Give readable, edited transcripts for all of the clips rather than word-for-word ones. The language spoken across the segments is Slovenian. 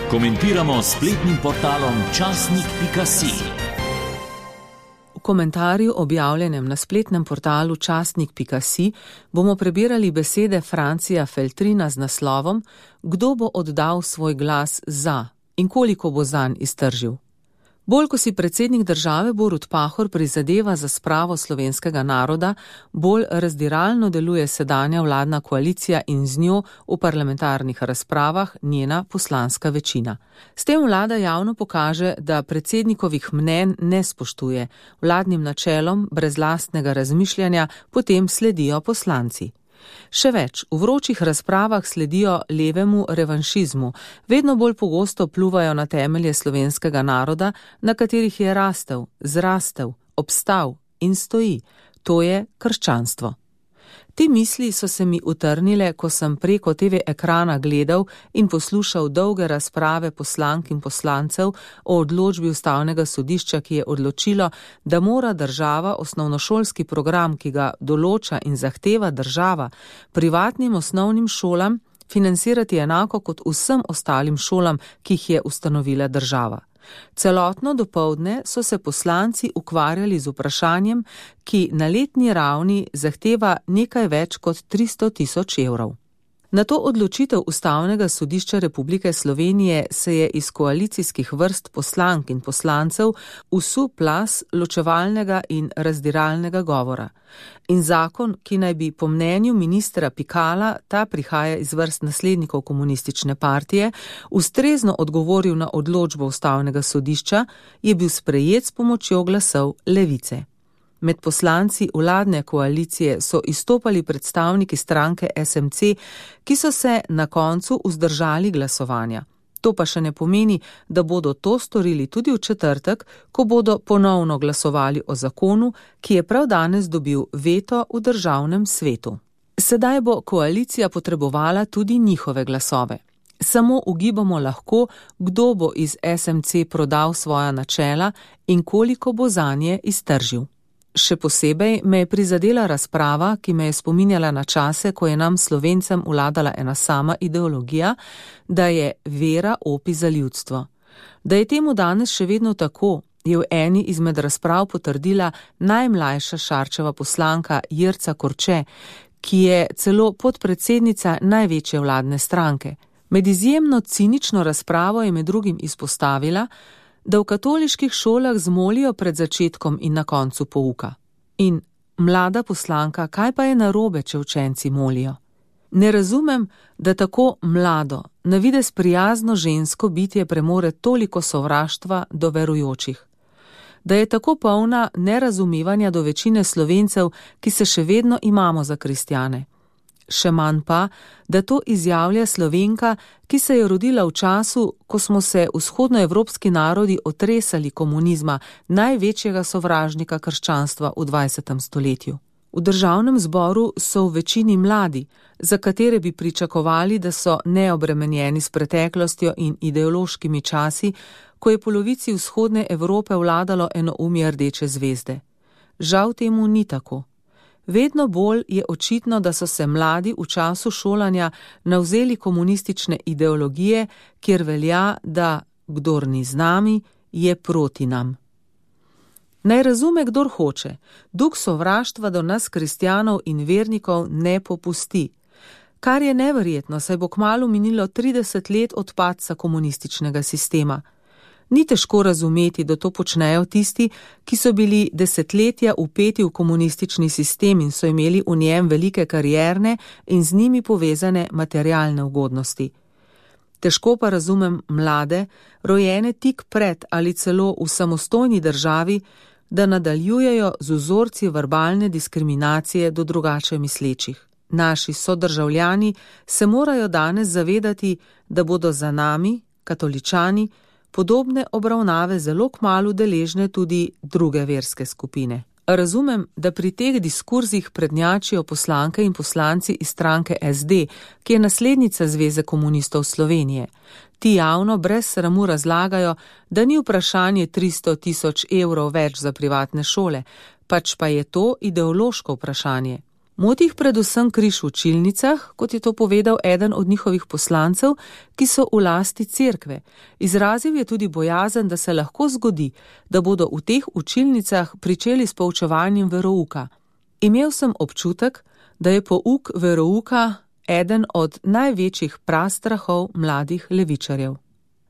Komentiramo s spletnim portalom časnik.si. V komentarju, objavljenem na spletnem portalu časnik.si, bomo prebirali besede Francija Feltrina z naslovom Kdo bo oddal svoj glas za in koliko bo zanj iztržil. Bolj ko si predsednik države Borut Pahor prizadeva za spravo slovenskega naroda, bolj razdiralno deluje sedanja vladna koalicija in z njo v parlamentarnih razpravah njena poslanska večina. S tem vlada javno pokaže, da predsednikovih mnenj ne spoštuje, vladnim načelom brez lastnega razmišljanja potem sledijo poslanci. Še več, v vročih razpravah sledijo levemu revanšizmu, vedno bolj pogosto pluvajo na temelje slovenskega naroda, na katerih je rastel, zrastel, obstal in stoji, to je krščanstvo. Te misli so se mi utrnile, ko sem preko TV ekrana gledal in poslušal dolge razprave poslank in poslancev o odločbi Ustavnega sodišča, ki je odločilo, da mora država osnovnošolski program, ki ga določa in zahteva država, privatnim osnovnim šolam financirati enako kot vsem ostalim šolam, ki jih je ustanovila država. Celotno dopoldne so se poslanci ukvarjali z vprašanjem, ki na letni ravni zahteva nekaj več kot 300 000 evrov. Na to odločitev Ustavnega sodišča Republike Slovenije se je iz koalicijskih vrst poslank in poslancev vsul plaz ločevalnega in razdiralnega govora. In zakon, ki naj bi po mnenju ministra Pikala, ta prihaja iz vrst naslednikov komunistične partije, ustrezno odgovoril na odločbo Ustavnega sodišča, je bil sprejet s pomočjo glasov Levice. Med poslanci vladne koalicije so izstopali predstavniki stranke SMC, ki so se na koncu vzdržali glasovanja. To pa še ne pomeni, da bodo to storili tudi v četrtek, ko bodo ponovno glasovali o zakonu, ki je prav danes dobil veto v državnem svetu. Sedaj bo koalicija potrebovala tudi njihove glasove. Samo ugibamo lahko, kdo bo iz SMC prodal svoja načela in koliko bo zanje iztržil. Še posebej me je prizadela razprava, ki me je spominjala na čase, ko je nam Slovencem vladala ena sama ideologija, da je vera opi za ljudstvo. Da je temu danes še vedno tako, je v eni izmed razprav potrdila najmlajša Šarčeva poslanka Jerca Korče, ki je celo podpredsednica največje vladne stranke. Med izjemno cinično razpravo je med drugim izpostavila, da v katoliških šolah zmolijo pred začetkom in na koncu pouka. In mlada poslanka, kaj pa je narobe, če učenci molijo? Ne razumem, da tako mlado, na videz prijazno žensko bitje premore toliko sovraštva do verujočih. Da je tako polna nerazumevanja do večine Slovencev, ki se še vedno imamo za kristjane. Še manj pa, da to izjavlja Slovenka, ki se je rodila v času, ko smo se vzhodnoevropski narodi otresali komunizma, največjega sovražnika krščanstva v 20. stoletju. V državnem zboru so v večini mladi, za katere bi pričakovali, da so neobremenjeni s preteklostjo in ideološkimi časi, ko je polovici vzhodne Evrope vladalo enoumje rdeče zvezde. Žal temu ni tako. Vedno bolj je očitno, da so se mladi v času šolanja navzeli komunistične ideologije, kjer velja, da kdor ni z nami, je proti nam. Naj razume, kdor hoče, duh sovraštva do nas kristjanov in vernikov ne popusti. Kar je neverjetno, saj bo kmalu minilo 30 let od padca komunističnega sistema. Ni težko razumeti, da to počnejo tisti, ki so bili desetletja vpeti v komunistični sistem in so imeli v njem velike karierne in z njimi povezane materialne ugodnosti. Težko pa razumem mlade, rojene tik pred ali celo v samostojni državi, da nadaljujejo z vzorci verbalne diskriminacije do drugače mislečih. Naši sodržavljani se morajo danes zavedati, da bodo za nami, katoličani, podobne obravnave zelo kmalu deležne tudi druge verske skupine. Razumem, da pri teh diskurzih prednjačijo poslanke in poslanci iz stranke SD, ki je naslednica Zveze komunistov Slovenije. Ti javno brez sramu razlagajo, da ni vprašanje 300 000 evrov več za privatne šole, pač pa je to ideološko vprašanje. Moti jih predvsem križ v učilnicah, kot je to povedal eden od njihovih poslancev, ki so v lasti cerkve. Izrazil je tudi bojazen, da se lahko zgodi, da bodo v teh učilnicah pričeli s poučevanjem verouka. Imel sem občutek, da je pouk verouka eden od največjih prastrahov mladih levičarjev.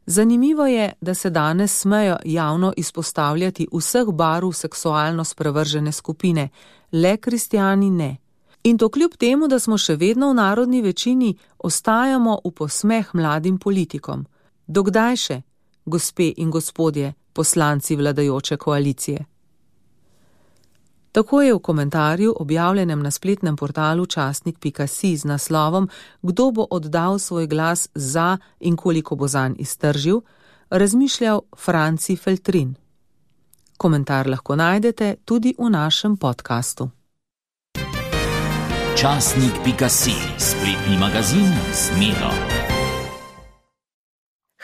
Zanimivo je, da se danes smejo javno izpostavljati vseh barv seksualno sprevržene skupine, le kristjani ne. In to kljub temu, da smo še vedno v narodni večini, ostajamo v posmeh mladim politikom. Dokdaj še, gospe in gospodje, poslanci vladajoče koalicije? Tako je v komentarju, objavljenem na spletnem portalu časnik.si z naslovom Kdo bo oddal svoj glas za in koliko bo zanj iztržil, razmišljal Franci Feltrin. Komentar lahko najdete tudi v našem podkastu. Časnik.si, spletni magazin z Miro.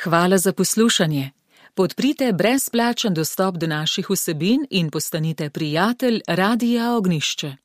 Hvala za poslušanje. Podprite brezplačen dostop do naših vsebin in postanite prijatelj Radia Ognjišče.